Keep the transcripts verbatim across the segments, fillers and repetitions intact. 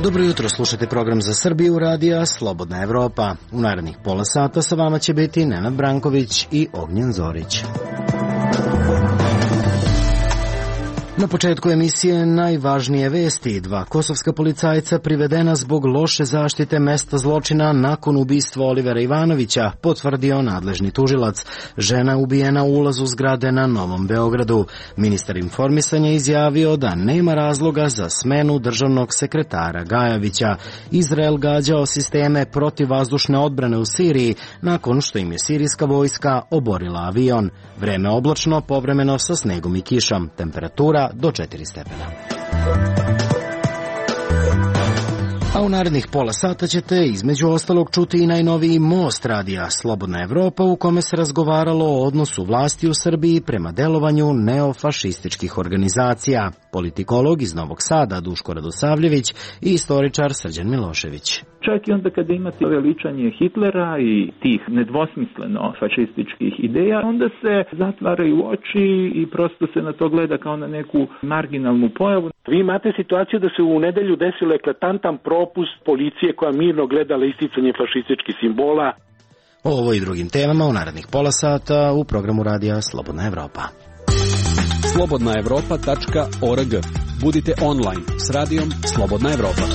Dobro jutro, slušate program za Srbiju radija Slobodna Evropa. U narednih pola sata sa vama će biti Nenad Branković i Ognjen Zorić. Na početku emisije najvažnije vesti. Dva kosovska policajca privedena zbog loše zaštite mesta zločina nakon ubistva Olivera Ivanovića, potvrdio nadležni tužilac. Žena ubijena u ulazu zgrade na Novom Beogradu. Ministar informisanja izjavio da nema razloga za smenu državnog sekretara Gajovića. Izrael gađao sisteme protivvazdušne odbrane u Siriji nakon što im je sirijska vojska oborila avion. Vreme oblačno, povremeno sa snegom i kišom. Temperatura do četiri stepena. A u narednih pola sata ćete između ostalog čuti i najnoviji most radija Slobodna Evropa u kome se razgovaralo o odnosu vlasti u Srbiji prema delovanju neofašističkih organizacija. Politikolog iz Novog Sada Duško Radosavljević i istoričar Srđan Milošević. Čak i onda kada imate veličanje Hitlera i tih nedvosmisleno fašističkih ideja, onda se zatvaraju oči i prosto se na to gleda kao na neku marginalnu pojavu. Vi imate situaciju da se u nedelju desilo eklatantan propust policije koja mirno gledala isticanje fašističkih simbola. O ovo i drugim temama u narednih pola sata u programu radija Slobodna Evropa. slobodna evropa tačka org. Budite online s radijom Slobodna Evropa.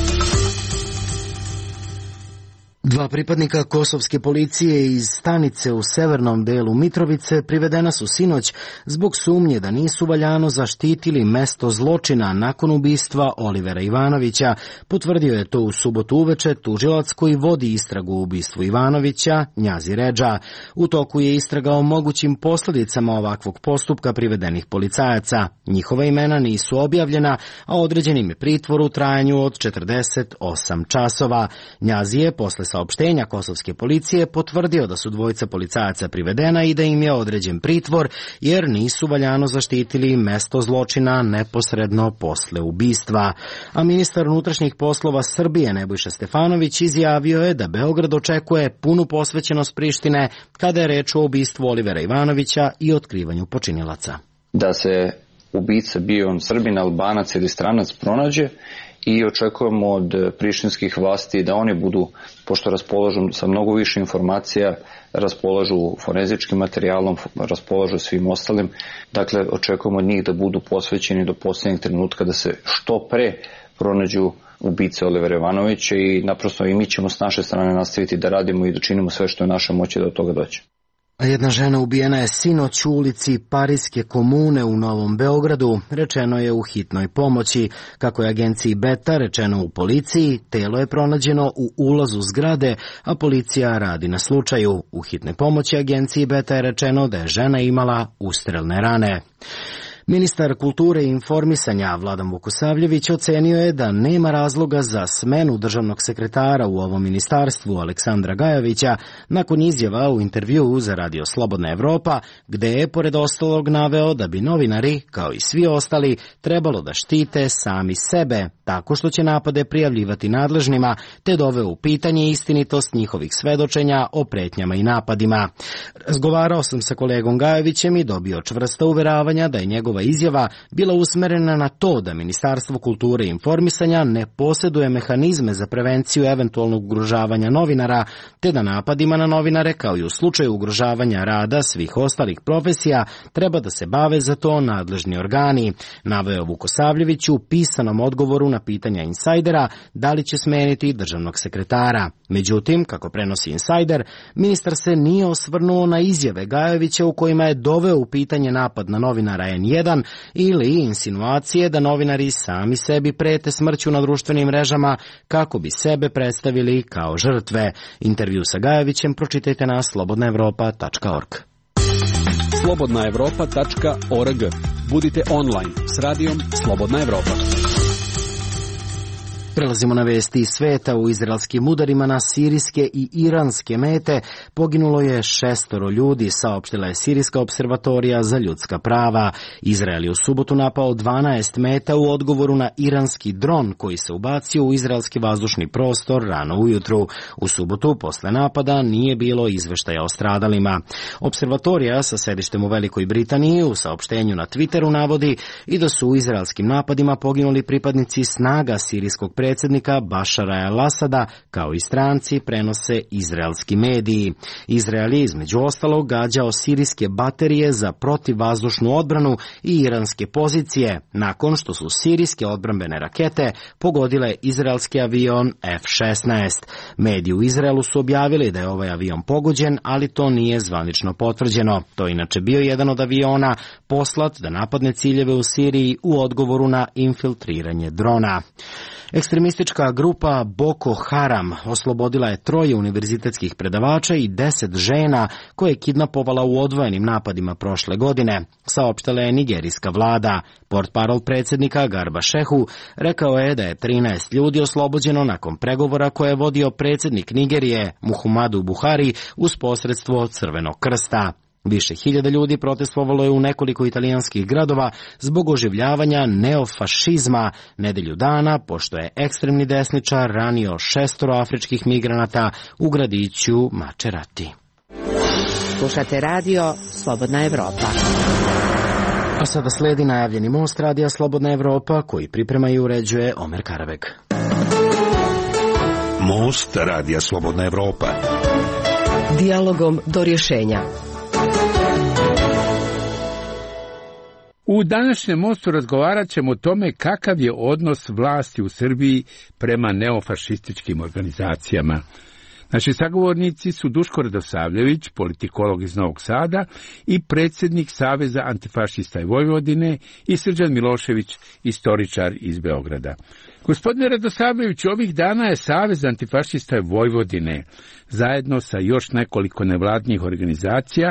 Dva pripadnika kosovske policije iz stanice u severnom delu Mitrovice privedena su sinoć zbog sumnje da nisu valjano zaštitili mesto zločina nakon ubistva Olivera Ivanovića. Potvrdio je to u subotu uveče tužilac koji vodi istragu u ubistvu Ivanovića, Njazi Redža. U toku je istraga o mogućim posljedicama ovakvog postupka privedenih policajaca. Njihova imena nisu objavljena, a određen im je pritvor u trajanju od četrdeset osam časova. Njazi je posle saopštenja kosovske policije potvrdio da su dvojica policajaca privedena i da im je određen pritvor jer nisu valjano zaštitili mesto zločina neposredno posle ubistva. A ministar unutrašnjih poslova Srbije Nebojša Stefanović izjavio je da Beograd očekuje punu posvećenost Prištine kada je reč o ubistvu Olivera Ivanovića i otkrivanju počinilaca. Da se ubica, bio on Srbin, Albanac ili stranac, pronađe i očekujemo od prištinskih vlasti da oni budu, pošto raspolažu sa mnogo više informacija, raspolažu forenzičkim materijalom, raspolažu svim ostalim. Dakle, očekujemo od njih da budu posvećeni do posljednjeg trenutka da se što pre pronađu ubice Olivera Ivanovića i naprosto i mi ćemo s naše strane nastaviti da radimo i da činimo sve što je naša moći da od toga dođe. A jedna žena ubijena je sinoć u ulici Parijske komune u Novom Beogradu, rečeno je u hitnoj pomoći. Kako je agenciji Beta rečeno u policiji, telo je pronađeno u ulazu zgrade, a policija radi na slučaju. U hitnoj pomoći agenciji Beta je rečeno da je žena imala ustrelne rane. Ministar kulture i informisanja Vladan Vukosavljević ocenio je da nema razloga za smenu državnog sekretara u ovom ministarstvu Aleksandra Gajovića nakon izjava u intervjuu za Radio Slobodna Evropa, gde je pored ostalog naveo da bi novinari, kao i svi ostali, trebalo da štite sami sebe, tako što će napade prijavljivati nadležnima, te doveo u pitanje istinitost njihovih svedočenja o pretnjama i napadima. Razgovarao sam sa kolegom Gajovićem i dobio čvrsta uveravanja da je njegov izjava bila usmerena na to da Ministarstvo kulture i informisanja ne posjeduje mehanizme za prevenciju eventualnog ugrožavanja novinara, te da napadima na novinare, kao i u slučaju ugrožavanja rada svih ostalih profesija, treba da se bave za to nadležni organi. Naveo Vukosavljević u pisanom odgovoru na pitanja Insajdera da li će smeniti državnog sekretara. Međutim, kako prenosi Insajder, ministar se nije osvrnuo na izjave Gajovića u kojima je doveo u pitanje napad na novinara en jedan ili insinuacije da novinari sami sebi prete smrću na društvenim mrežama kako bi sebe predstavili kao žrtve. Intervju sa Gajovićem pročitajte na slobodna evropa tačka org. slobodna evropa tačka org. Budite online s radijom Slobodna Evropa. Prelazimo na vesti iz sveta. U izraelskim udarima na sirijske i iranske mete poginulo je šestoro ljudi, saopštila je Sirijska observatorija za ljudska prava. Izrael je u subotu napao dvanaest meta u odgovoru na iranski dron koji se ubacio u izraelski vazdušni prostor rano ujutru. U subotu posle napada nije bilo izveštaja o stradalima. Observatorija sa sedištem u Velikoj Britaniji u saopštenju na Twitteru navodi i da su u izraelskim napadima poginuli pripadnici snaga sirijskog predsjednika Bašara el-Asada, kao i stranci, prenose izraelski mediji. Izrael je između ostalog gađao sirijske baterije za protivvazdušnu odbranu i iranske pozicije, nakon što su sirijske odbrambene rakete pogodile izraelski avion F šesnaest. Mediji u Izraelu su objavili da je ovaj avion pogođen, ali to nije zvanično potvrđeno. To je inače bio jedan od aviona poslat da napadne ciljeve u Siriji u odgovoru na infiltriranje drona. Ekstremistička grupa Boko Haram oslobodila je troje univerzitetskih predavača i deset žena koje je kidnapovala u odvojenim napadima prošle godine, saopštila je nigerijska vlada. Portparol predsjednika Garba Šehu rekao je da je trinaest ljudi oslobođeno nakon pregovora koje je vodio predsjednik Nigerije Muhammadu Buhari uz posredstvo Crvenog krsta. Više hiljada ljudi protestovalo je u nekoliko italijanskih gradova zbog oživljavanja neofašizma nedelju dana, pošto je ekstremni desničar ranio šestoro afričkih migranata u gradiću Macerati. Slušate radio Slobodna Evropa. A sada sledi najavljeni most radija Slobodna Evropa koji priprema i uređuje Omer Karabeg. Most radija Slobodna Evropa. Dijalogom do rješenja. U današnjem mostu razgovarat ćemo o tome kakav je odnos vlasti u Srbiji prema neofašističkim organizacijama. Naši sagovornici su Duško Radosavljević, politikolog iz Novog Sada i predsjednik Saveza antifašista i Vojvodine, i Srđan Milošević, istoričar iz Beograda. Gospodine Radosavljević, ovih dana je Savez antifašista i Vojvodine zajedno sa još nekoliko nevladnih organizacija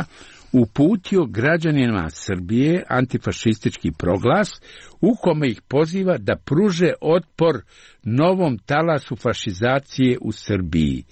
uputio građanima Srbije antifašistički proglas u kome ih poziva da pruže otpor novom talasu fašizacije u Srbiji.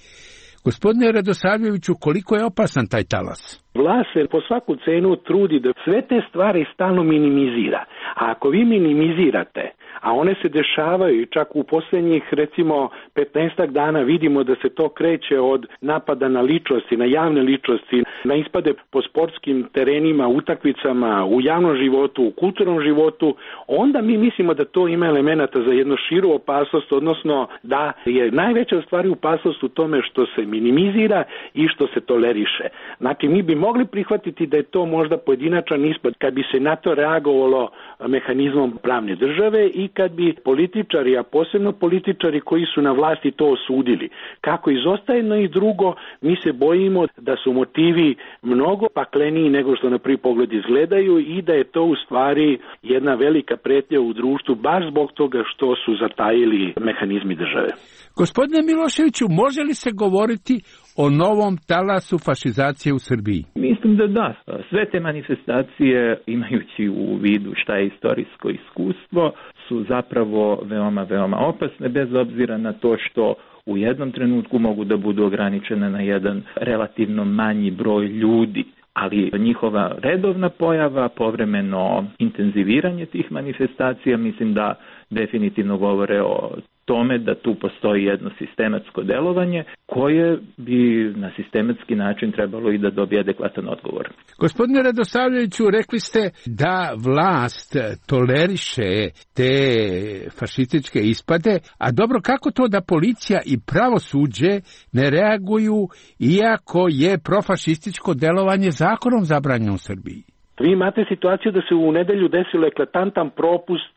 Gospodine Radosavljeviću, koliko je opasan taj talas? Vlast se po svaku cenu trudi da sve te stvari stalno minimizira. A ako vi minimizirate, a one se dešavaju čak u posljednjih recimo petnaestak dana, vidimo da se to kreće od napada na ličnosti, na javne ličnosti, na ispade po sportskim terenima, utakmicama, u javnom životu, u kulturnom životu, onda mi mislimo da to ima elemenata za jednu širu opasnost, odnosno da je najveća stvar opasnost u tome što se minimizira i što se toleriše. Znači mi bi mogli prihvatiti da je to možda pojedinačan ispad kad bi se na to reagovalo mehanizmom pravne države i kad bi političari, a posebno političari koji su na vlasti, to osudili. Kako izostaje jedno i drugo, mi se bojimo da su motivi mnogo pakleniji nego što na prvi pogled izgledaju i da je to u stvari jedna velika pretnja u društvu baš zbog toga što su zatajili mehanizmi države. Gospodine Miloševiću, može li se govoriti o novom talasu fašizacije u Srbiji? Mislim da da. Sve te manifestacije, imajući u vidu šta je istorijsko iskustvo, su zapravo veoma, veoma opasne, bez obzira na to što u jednom trenutku mogu da budu ograničene na jedan relativno manji broj ljudi. Ali njihova redovna pojava, povremeno intenziviranje tih manifestacija, mislim da definitivno govore o tome da tu postoji jedno sistematsko delovanje koje bi na sistematski način trebalo i da dobije adekvatan odgovor. Gospodine Radosavljeviću, rekli ste da vlast toleriše te fašističke ispade, a dobro, kako to da policija i pravosuđe ne reaguju iako je profašističko delovanje zakonom zabranjeno u Srbiji? Vi imate situaciju da se u nedelju desilo eklatantan propust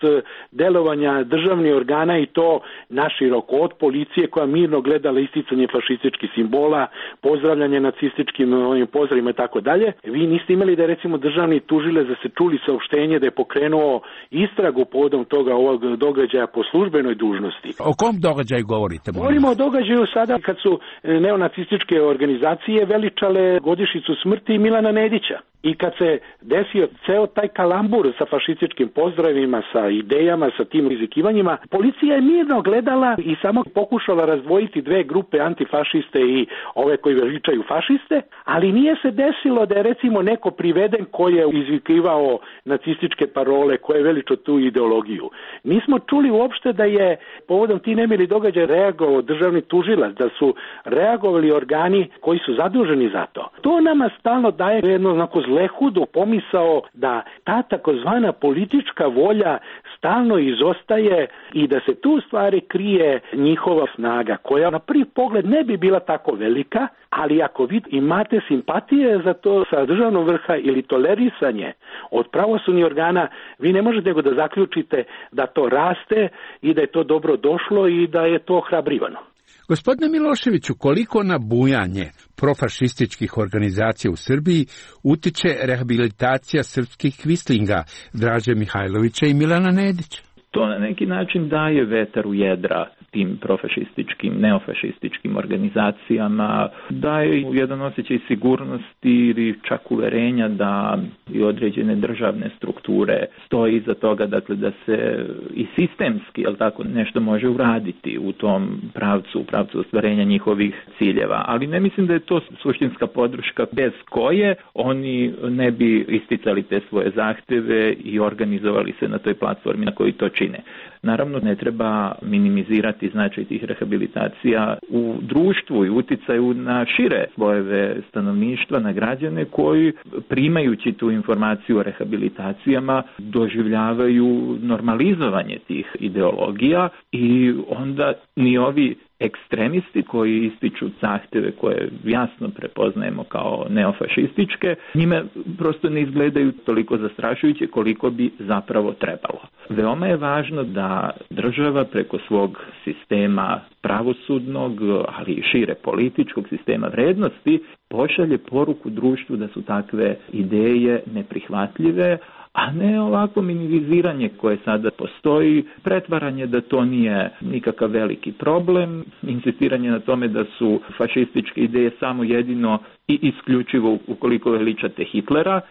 delovanja državnih organa i to naširoko, od policije koja mirno gledala isticanje fašističkih simbola, pozdravljanje nacističkim ovim pozdravima i tako dalje. Vi niste imali da je recimo državni tužilac da se čuli saopštenje da je pokrenuo istragu povodom toga ovog događaja po službenoj dužnosti. O kom događaju govorite? Govorimo o događaju sada kad su neonacističke organizacije veličale godišnjicu smrti Milana Nedića. I kad se desio ceo taj kalambur sa fašističkim pozdravima, sa idejama, sa tim izikivanjima, policija je mirno gledala i samo pokušala razdvojiti dve grupe antifašiste i ove koji veličaju fašiste, ali nije se desilo da je recimo neko priveden koji je izvikivao nacističke parole, koje je veličao tu ideologiju. Nismo čuli uopšte da je povodom ti nemili događaj reagovao državni tužilac, da su reagovali organi koji su zaduženi za to. To nama stalno daje jedno onako zlehudu pomisao da ta takozvana politička volja stalno izostaje i da se tu stvari krije njihova snaga, koja na prvi pogled ne bi bila tako velika, ali ako vi imate simpatije za to sa državnog vrha ili tolerisanje od pravosudnih organa, vi ne možete nego da zaključite da to raste i da je to dobro došlo i da je to ohrabrivano. Gospodine Miloševiću, koliko na bujanje profašističkih organizacija u Srbiji utiče rehabilitacija srpskih kvislinga Draže Mihajlovića i Milana Nedića? To na neki način daje vetar u jedra tim profašističkim, neofašističkim organizacijama, daje jedan osjećaj sigurnosti ili čak uverenja da i određene državne strukture stoji iza toga, dakle da se i sistemski, jel tako, nešto može uraditi u tom pravcu, u pravcu ostvarenja njihovih ciljeva. Ali ne mislim da je to suštinska podrška bez koje oni ne bi isticali te svoje zahteve i organizovali se na toj platformi na kojoj to čine. Naravno, ne treba minimizirati značaj tih rehabilitacija u društvu i uticaju na šire slojeve stanovništva, na građane koji, primajući tu informaciju o rehabilitacijama, doživljavaju normalizovanje tih ideologija i onda ni ovi ekstremisti koji ističu zahteve koje jasno prepoznajemo kao neofašističke, njime prosto ne izgledaju toliko zastrašujuće koliko bi zapravo trebalo. Veoma je važno da država preko svog sistema pravosudnog, ali i šire političkog sistema vrednosti pošalje poruku društvu da su takve ideje neprihvatljive, a ne ovako minimiziranje koje sada postoji, pretvaranje da to nije nikakav veliki problem, insistiranje na tome da su fašističke ideje samo jedino i isključivo ukoliko veličate Hitlera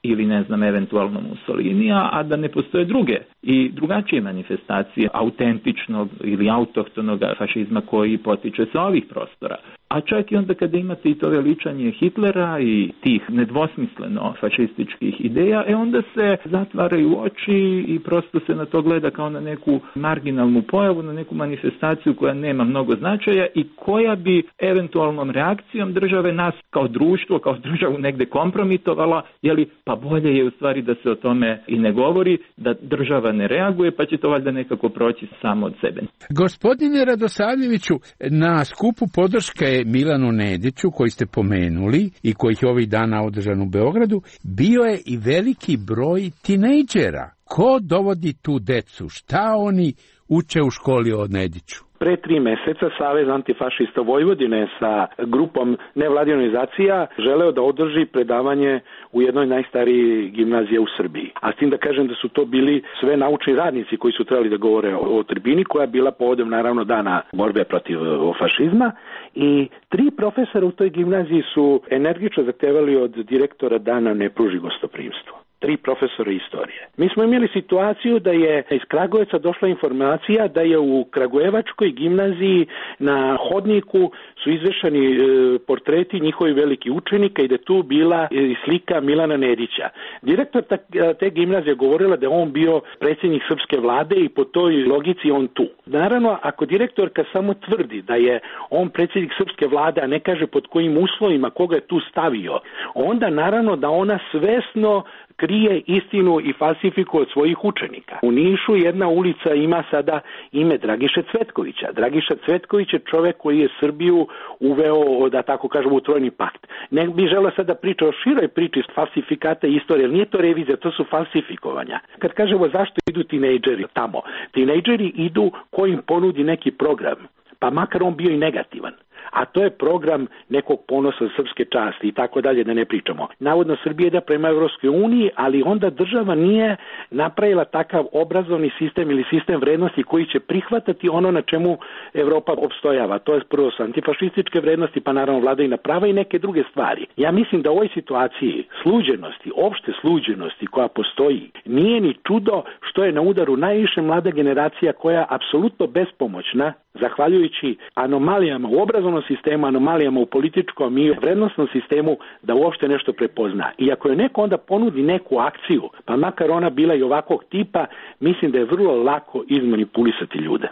ili ne znam eventualno Mussolinija, a da ne postoje druge i drugačije manifestacije autentičnog ili autohtonog fašizma koji potiče sa ovih prostora. A čak i onda kada imate i to veličanje Hitlera i tih nedvosmisleno fašističkih ideja, e onda se zatvaraju oči i prosto se na to gleda kao na neku marginalnu pojavu, na neku manifestaciju koja nema mnogo značaja i koja bi eventualnom reakcijom države nas kao društvo, kao državu negde kompromitovala, jeli, pa bolje je u stvari da se o tome i ne govori, da država ne reaguje, pa će to valjda nekako proći samo od sebe. Gospodine Radosavljeviću, na skupu podrške Milanu Nediću, koji ste pomenuli i kojih je ovih dana održan u Beogradu, bio je i veliki broj tinejdžera. Ko dovodi tu decu? Šta oni uče u školi od Nediću? Pre tri meseca Savez antifašista Vojvodine sa grupom nevladinih organizacija želeo da održi predavanje u jednoj najstarijih gimnazije u Srbiji. A s tim da kažem da su to bili sve naučni radnici koji su trebali da govore o, o tribini, koja je bila povodom naravno dana borbe protiv fašizma. I tri profesora u toj gimnaziji su energično zahtevali od direktora da nam ne pruži gostoprimstvo. Tri profesora istorije. Mi smo imali situaciju da je iz Kragujevca došla informacija da je u Kragujevačkoj gimnaziji na hodniku su izvešani e, portreti njihovih velikih učenika i da tu bila e, slika Milana Nedića. Direktor ta, te gimnazije govorila da je on bio predsjednik srpske vlade i po toj logici on tu. Naravno, ako direktorka samo tvrdi da je on predsjednik srpske vlade, a ne kaže pod kojim uslovima, koga je tu stavio, onda naravno da ona svesno krije istinu i falsifikuje od svojih učenika. U Nišu jedna ulica ima sada ime Dragiše Cvetkovića. Dragiša Cvetković je čovek koji je Srbiju uveo, da tako kažemo, u trojni pakt. Ne bih želeo sada priča o široj priči falsifikata istorije, ali nije to revizija, to su falsifikovanja. Kad kažemo zašto idu tinejdžeri tamo, tinejdžeri idu ko im ponudi neki program, pa makar on bio i negativan. a to je program nekog ponosa srpske časti i tako dalje, da ne pričamo. Navodno Srbija ide prema Evropskoj uniji, ali onda država nije napravila takav obrazovni sistem ili sistem vrednosti koji će prihvatati ono na čemu Evropa opstojava. To je prvo su antifašističke vrednosti, pa naravno vladavina prava i neke druge stvari. Ja mislim da u ovoj situaciji sluđenosti, opšte sluđenosti koja postoji, nije ni čudo što je na udaru najviše mlada generacija koja apsolutno bespomoćna, zahvaljujući anomalijama u obrazovnom sistemu, anomalijama u političkom i vrednostnom sistemu, da uopšte nešto prepozna. I ako je neko onda ponudi neku akciju, pa makar ona bila i ovakvog tipa, mislim da je vrlo lako izmanipulisati ljude.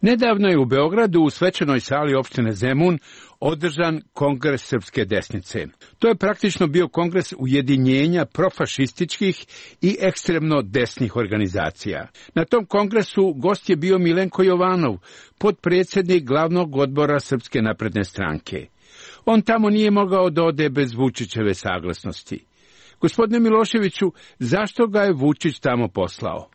Nedavno je u Beogradu u svečanoj sali opštine Zemun održan kongres srpske desnice. To je praktično bio kongres ujedinjenja profašističkih i ekstremno desnih organizacija. Na tom kongresu gost je bio Milenko Jovanov, potpredsjednik glavnog odbora Srpske napredne stranke. On tamo nije mogao da ode bez Vučićeve saglasnosti. Gospodine Miloševiću, zašto ga je Vučić tamo poslao?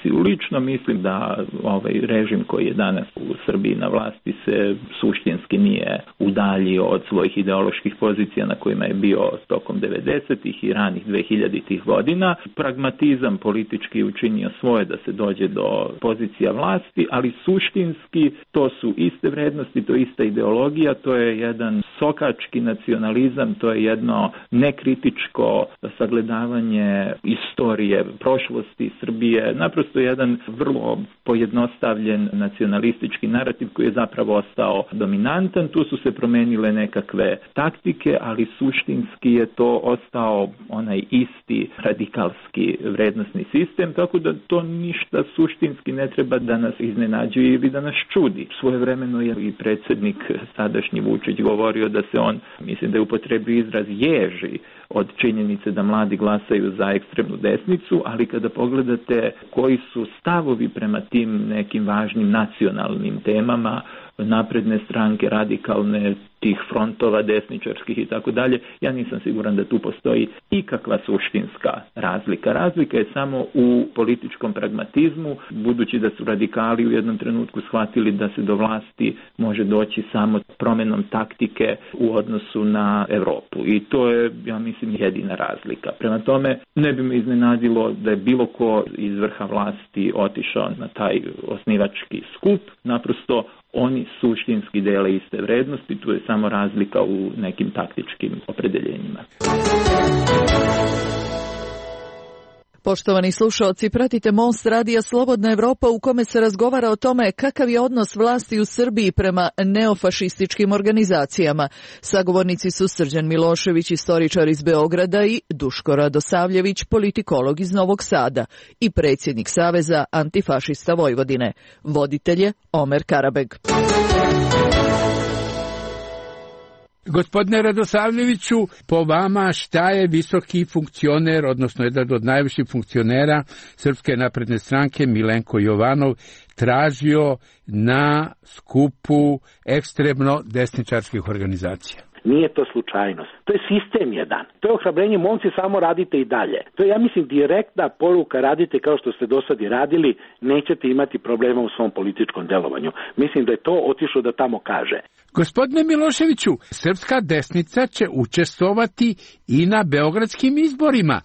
Lično mislim da ovaj režim koji je danas u Srbiji na vlasti se suštinski nije udaljio od svojih ideoloških pozicija na kojima je bio tokom devedesetih i ranih dvehiljaditih godina. Pragmatizam politički učinio svoje da se dođe do pozicija vlasti, ali suštinski to su iste vrednosti, to je ista ideologija, to je jedan sokački nacionalizam, to je jedno nekritičko sagledavanje istorije, prošlosti Srbije, naprosto Prosto je jedan vrlo pojednostavljen nacionalistički narativ koji je zapravo ostao dominantan. Tu su se promenile nekakve taktike, ali suštinski je to ostao onaj isti radikalski vrednosni sistem, tako da to ništa suštinski ne treba da nas iznenađuje ili da nas čudi. Svojevremeno je i predsjednik sadašnji Vučić govorio da se on, mislim da je upotrebio izraz, ježi od činjenice da mladi glasaju za ekstremnu desnicu, ali kada pogledate koji su stavovi prema tim nekim važnim nacionalnim temama, napredne stranke, radikalne, tih frontova desničarskih i tako dalje, ja nisam siguran da tu postoji ikakva suštinska razlika. Razlika je samo u političkom pragmatizmu, budući da su radikali u jednom trenutku shvatili da se do vlasti može doći samo promjenom taktike u odnosu na Evropu. I to je, ja mislim, jedina razlika. Prema tome, ne bi me iznenadilo da je bilo ko iz vrha vlasti otišao na taj osnivački skup, naprosto oni suštinski dele iste vrednosti, tu je samo razlika u nekim taktičkim opredeljenjima. Poštovani slušaoci, pratite Most radija Slobodna Evropa u kome se razgovara o tome kakav je odnos vlasti u Srbiji prema neofašističkim organizacijama. Sagovornici su Srđan Milošević, istoričar iz Beograda, i Duško Radosavljević, politikolog iz Novog Sada i predsjednik Saveza antifašista Vojvodine. Voditelj je Omer Karabeg. Gospodine Radosavljeviću, po vama šta je visoki funkcioner, odnosno jedan od najviših funkcionera Srpske napredne stranke, Milenko Jovanov, tražio na skupu ekstremno desničarskih organizacija? Nije to slučajnost. To je sistem jedan. To je ohrabrenje, momci, samo radite i dalje. To je, ja mislim, direktna poruka, radite kao što ste do sad i radili, nećete imati problema u svom političkom delovanju. Mislim da je to otišlo da tamo kaže. Gospodine Miloševiću, srpska desnica će učestvovati i na beogradskim izborima.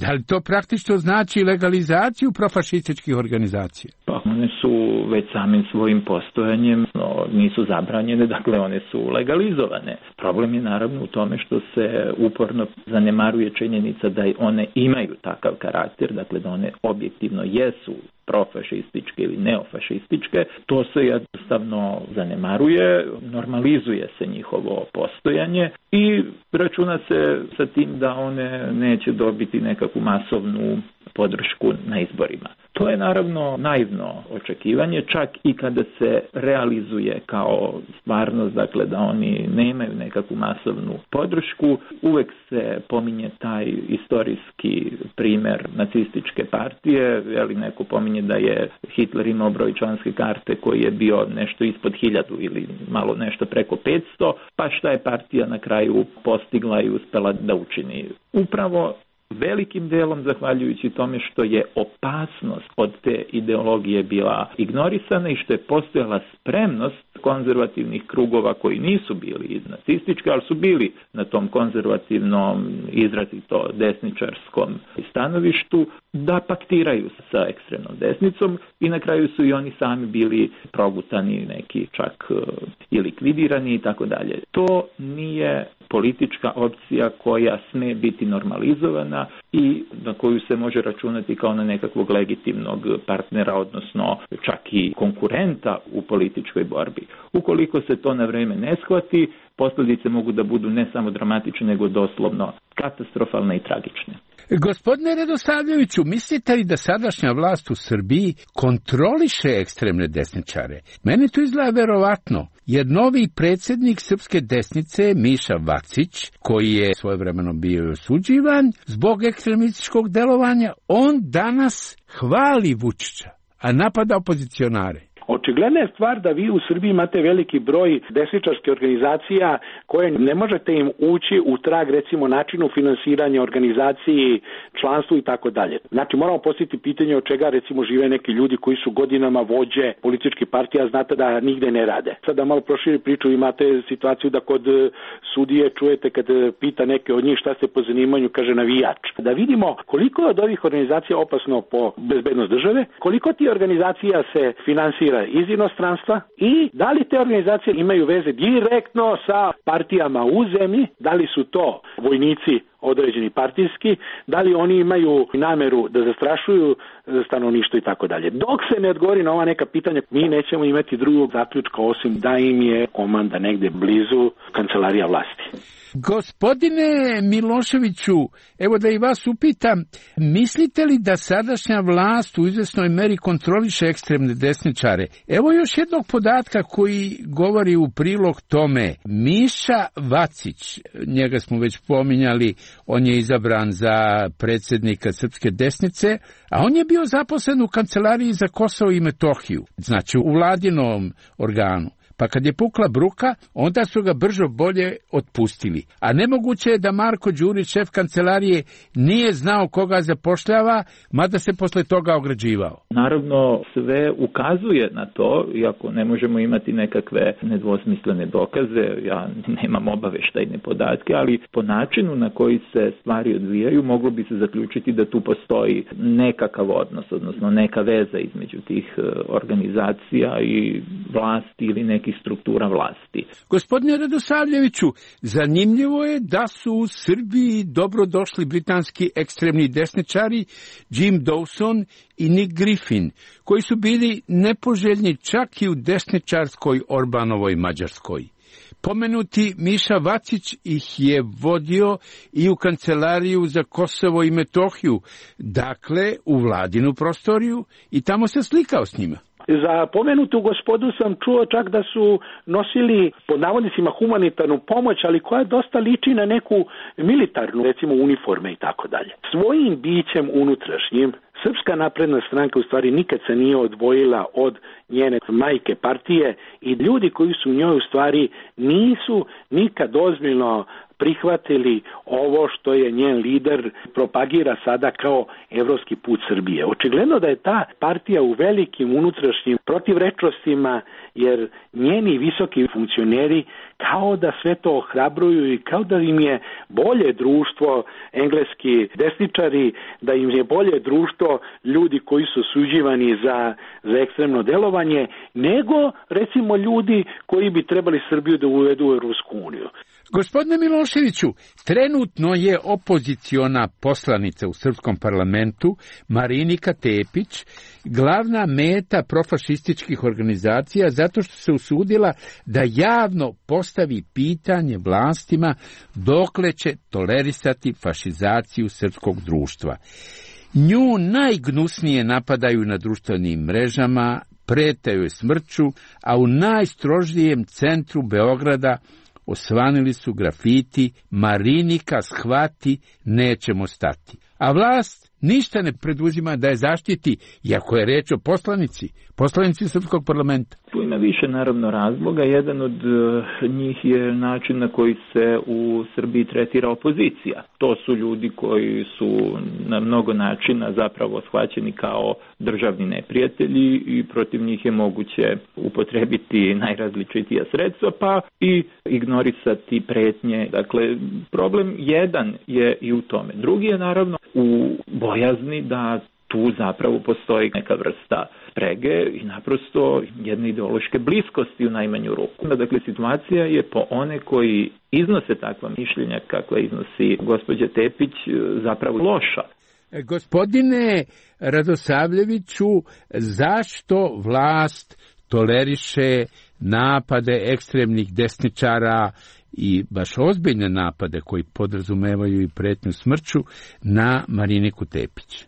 Da li to praktično znači legalizaciju profašističkih organizacija? Pa one su već samim svojim postojanjem, no, nisu zabranjene, dakle one su legalizovane. Problem je naravno u tome što se uporno zanemaruje činjenica da one imaju takav karakter, dakle da one objektivno jesu profašističke ili neofašističke, to se jednostavno zanemaruje, normalizuje se njihovo postojanje i računa se sa tim da one neće dobiti nekakvu masovnu podršku na izborima. To je naravno naivno očekivanje, čak i kada se realizuje kao stvarnost, dakle da oni nemaju nekakvu masovnu podršku, uvek se pominje taj istorijski primer nacističke partije, jeli neko pominje da je Hitler imao broj članske karte koji je bio nešto ispod hiljadu ili malo nešto preko petsto, pa šta je partija na kraju postigla i uspela da učini? Upravo velikim delom zahvaljujući tome što je opasnost od te ideologije bila ignorisana i što je postojala spremnost konzervativnih krugova koji nisu bili nacistički, ali su bili na tom konzervativnom, izrazito desničarskom stanovištu, da paktiraju sa ekstremnom desnicom i na kraju su i oni sami bili progutani, neki čak i likvidirani i tako dalje. To nije politička opcija koja sme biti normalizovana i na koju se može računati kao na nekakvog legitimnog partnera, odnosno čak i konkurenta u političkoj borbi. Ukoliko se to na vreme ne shvati, posljedice mogu da budu ne samo dramatične, nego doslovno katastrofalne i tragične. Gospodine Radosavljeviću, mislite li da sadašnja vlast u Srbiji kontroliše ekstremne desničare? Meni to izgleda verovatno, jer novi predsjednik srpske desnice, Miša Vacić, koji je svojevremeno bio osuđivan zbog ekstremističkog delovanja, on danas hvali Vučića, a napada opozicionare. Očigledna je stvar da vi u Srbiji imate veliki broj desničarskih organizacija koje ne možete im ući u trag, recimo, načinu finansiranja organizaciji, članstvu i tako dalje. Znači, moramo postaviti pitanje od čega, recimo, žive neki ljudi koji su godinama vođe političkih partija, znate da nigde ne rade. Sada malo proširi priču, imate situaciju da kod sudije čujete kad pita neke od njih šta ste po zanimanju, kaže navijač. Da vidimo koliko je od ovih organizacija opasno po bezbednost države, koliko ti organizacija se finansira iz inostranstva i da li te organizacije imaju veze direktno sa partijama u zemlji, da li su to vojnici određeni partijski, da li oni imaju nameru da zastrašuju stanovništvo i tako dalje. Dok se ne odgovori na ova neka pitanja, mi nećemo imati drugog zaključka osim da im je komanda negde blizu kancelarija vlasti. Gospodine Miloševiću, evo da i vas upitam, mislite li da sadašnja vlast u izvesnoj meri kontroliše ekstremne desničare? Evo još jednog podatka koji govori u prilog tome. Miša Vacić, njega smo već pominjali, on je izabran za predsjednika srpske desnice, a on je bio zaposlen u kancelariji za Kosovo i Metohiju, znači u vladinom organu. Pa kad je pukla bruka, onda su ga brzo bolje otpustili. A nemoguće je da Marko Đurić, šef kancelarije, nije znao koga zapošljava, mada se posle toga ograđivao. Naravno, sve ukazuje na to, iako ne možemo imati nekakve nedvosmislene dokaze, ja nemam obaveštajne podatke, ali po načinu na koji se stvari odvijaju, moglo bi se zaključiti da tu postoji nekakav odnos, odnosno neka veza između tih organizacija i vlasti ili neki struktura vlasti. Gospodine Radosavljeviću, zanimljivo je da su u Srbiji dobro došli britanski ekstremni desničari Jim Dawson i Nick Griffin, koji su bili nepoželjni čak i u desničarskoj Orbanovoj Mađarskoj. Pomenuti Miša Vacić ih je vodio i u kancelariju za Kosovo i Metohiju, dakle u vladinu prostoriju, i tamo se slikao s njima. Za pomenutu gospodu sam čuo čak da su nosili pod navodnicima humanitarnu pomoć, ali koja dosta liči na neku militarnu, recimo uniforme i tako dalje. Svojim bićem unutrašnjim Srpska napredna stranka u stvari nikad se nije odvojila od njene majke partije i ljudi koji su u njoj u stvari nisu nikad ozbiljno prihvatili ovo što je njen lider propagira sada kao evropski put Srbije. Očigledno da je ta partija u velikim unutrašnjim protivrečnostima, jer njeni visoki funkcioneri kao da sve to ohrabruju i kao da im je bolje društvo, engleski desničari, da im je bolje društvo ljudi koji su suđivani za, za ekstremno delovanje, nego recimo ljudi koji bi trebali Srbiju da uvedu u Europsku uniju. Gospodine Miloševiću, trenutno je opoziciona poslanica u srpskom parlamentu Marinika Tepić glavna meta profašističkih organizacija zato što se usudila da javno postavi pitanje vlastima dokle će tolerisati fašizaciju srpskog društva. Nju najgnusnije napadaju na društvenim mrežama, prete joj smrću, a u najstrožijem centru Beograda osvanili su grafiti Marinika shvati, nećemo stati. A vlast ništa ne preduzima da je zaštiti, iako je reč o poslanici, poslanici srpskog parlamenta. Tu ima više naravno razloga. Jedan od njih je način na koji se u Srbiji tretira opozicija. To su ljudi koji su na mnogo načina zapravo shvaćeni kao državni neprijatelji i protiv njih je moguće upotrebiti najrazličitija sredstva pa i ignorisati pretnje. Dakle, problem jedan je i u tome. Drugi je naravno u bojazni da tu zapravo postoji neka vrsta sprege i naprosto jedne ideološke bliskosti u najmanju ruku. Dakle, situacija je po one koji iznose takva mišljenja kakva iznosi gospođa Tepić zapravo loša. Gospodine Radosavljeviću, zašto vlast toleriše napade ekstremnih desničara i baš ozbiljne napade koji podrazumevaju i pretnju smrću na Mariniku Tepić?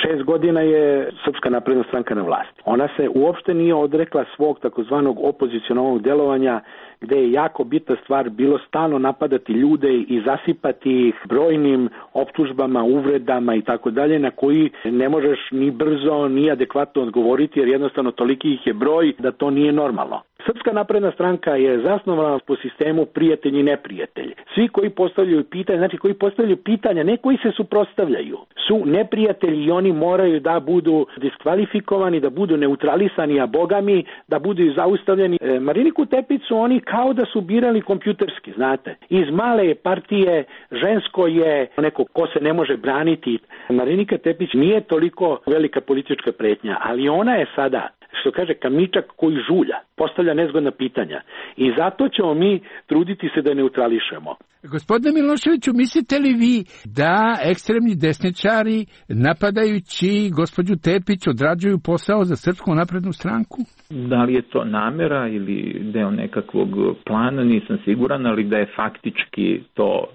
Šest godina je Srpska napredna stranka na vlasti. Ona se uopšte nije odrekla svog takozvanog opozicionalnog delovanja, gde je jako bitna stvar bilo stalno napadati ljude i zasipati ih brojnim optužbama, uvredama i tako dalje, na koji ne možeš ni brzo ni adekvatno odgovoriti, jer jednostavno toliki ih je broj da to nije normalno. Srpska napredna stranka je zasnovana po sistemu prijatelj i neprijatelj. Svi koji postavljaju pitanja, znači koji postavljaju pitanja, ne koji se suprotstavljaju, su neprijatelji i oni moraju da budu diskvalifikovani, da budu neutralisani, a bogami da budu zaustavljeni. E, Mariniku Tepić su oni kao da su birali kompjuterski, znate. Iz male partije žensko je neko ko se ne može braniti. Marinika Tepić nije toliko velika politička pretnja, ali ona je sada, što kaže, kamičak koji žulja, postavlja nezgodna pitanja. I zato ćemo mi truditi se da neutrališemo. Gospodine Miloševiću, mislite li vi da ekstremni desničari napadajući gospođu Tepić odrađuju posao za Srpsku naprednu stranku? Da li je to namera ili deo nekakvog plana, nisam siguran, ali da je faktički to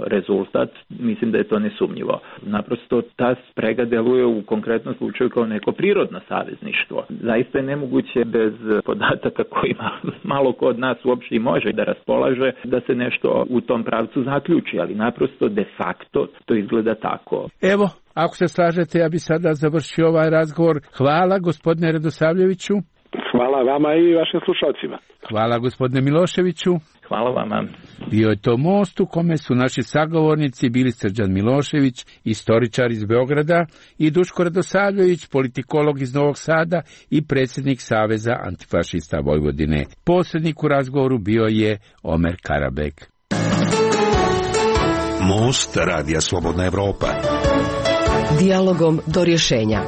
rezultat, mislim da je to nesumnjivo. Naprosto ta sprega deluje u konkretnom slučaju kao neko prirodno savezništvo. Zaista je nemoguće bez podataka kojima malo ko od nas uopšte i može da raspolaže, da se nešto u tom pravcu zaključi, ali naprosto de facto to izgleda tako. Evo, ako se slažete, ja bi sada završio ovaj razgovor. Hvala, gospodine Radosavljeviću. Hvala vama i vašim slušalcima. Hvala, gospodine Miloševiću. Hvala vama. Bio je to Most u kome su naši sagovornici bili Srđan Milošević, istoričar iz Beograda, i Duško Radosavljević, politikolog iz Novog Sada i predsjednik Saveza antifašista Vojvodine. Posrednik u razgovoru bio je Omer Karabek. Most Radija Slobodna Evropa. Dijalogom do rješenja.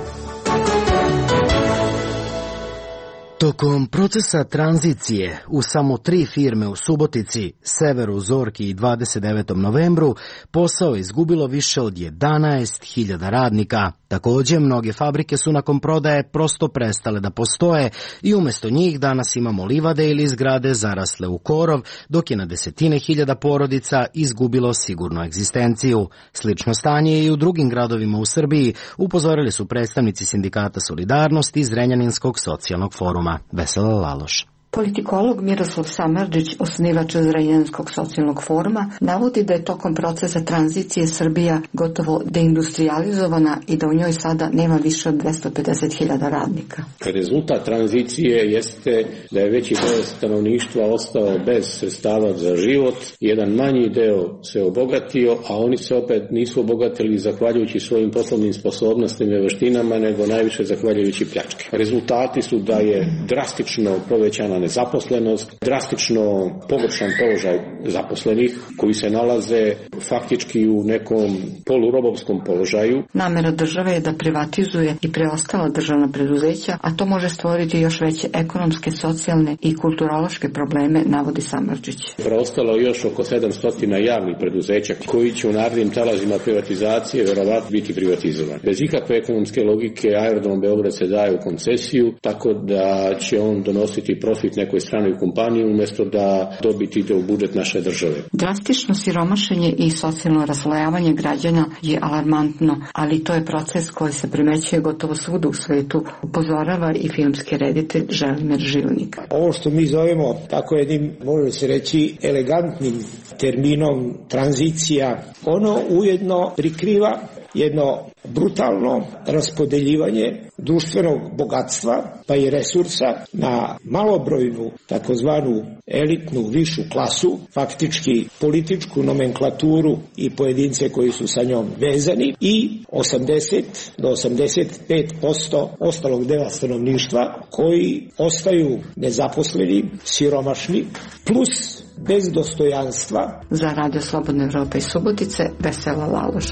Tokom procesa tranzicije u samo tri firme u Subotici, Severu, Zorki i dvadeset devetom novembru posao je izgubilo više od jedanaest hiljada radnika. Također, mnoge fabrike su nakon prodaje prosto prestale da postoje i umjesto njih danas imamo livade ili zgrade zarasle u korov, dok je na desetine hiljada porodica izgubilo sigurnu egzistenciju. Slično stanje je i u drugim gradovima u Srbiji, upozorili su predstavnici Sindikata Solidarnosti iz Zrenjaninskog socijalnog foruma. Vesela Laloš. Politikolog Miroslav Samardžić, osnivač Zrenjaninskog socijalnog foruma, navodi da je tokom procesa tranzicije Srbija gotovo deindustrializovana i da u njoj sada nema više od dvesta pedeset hiljada radnika. Rezultat tranzicije jeste da je veći deo stanovništva ostao bez sredstava za život, jedan manji deo se obogatio, a oni se opet nisu obogatili zahvaljujući svojim poslovnim sposobnostima i veštinama, nego najviše zahvaljujući pljačke. Rezultati su da je drastično povećana nezaposlenost, drastično pogoršan položaj zaposlenih koji se nalaze faktički u nekom polurobovskom položaju. Namera države je da privatizuje i preostala državna preduzeća, a to može stvoriti još veće ekonomske, socijalne i kulturološke probleme, navodi Samardžić. Preostalo još oko sedamsto javnih preduzeća koji će u narednim talazima privatizacije verovatno biti privatizovani. Bez ikakve ekonomske logike aerodrom Beograd se daje u koncesiju, tako da će on donositi profit nekoj stranoj kompaniji umjesto da dobit ide u budžet naše države. Drastično siromašenje i socijalno raslojavanje građana je alarmantno, ali to je proces koji se primećuje gotovo svuda u svetu, upozorava i filmski reditelj Želimir Žilnik. Ovo što mi zovemo tako jednim, može se reći, elegantnim terminom tranzicija, ono ujedno prikriva jedno brutalno raspodeljivanje društvenog bogatstva pa i resursa na malobrojnu takozvanu elitnu višu klasu, faktički političku nomenklaturu i pojedince koji su sa njom vezani i osamdeset do osamdeset pet posto ostalog dela stanovništva koji ostaju nezaposleni, siromašni, plus bez dostojanstva. Za Radio Slobodne Evrope iz Subotice, Vesela Laloš.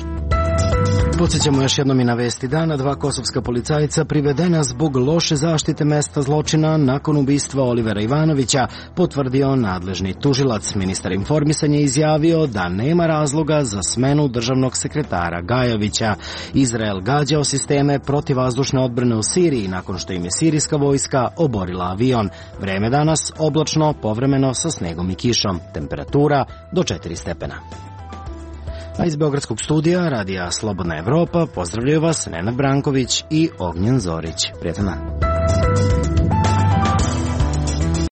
Podsjećamo još jednom i na vesti dana. Dva kosovska policajca privedena zbog loše zaštite mesta zločina nakon ubistva Olivera Ivanovića, potvrdio nadležni tužilac. Ministar informisanja izjavio da nema razloga za smenu državnog sekretara Gajovića. Izrael gađao sisteme protivvazdušne odbrane u Siriji nakon što im je sirijska vojska oborila avion. Vreme danas oblačno, povremeno sa snegom i kišom. Temperatura do četiri stepena. A iz Beogradskog studija Radija Slobodna Evropa pozdravljaju vas Nenad Branković i Ognjen Zorić. Prijatan dan.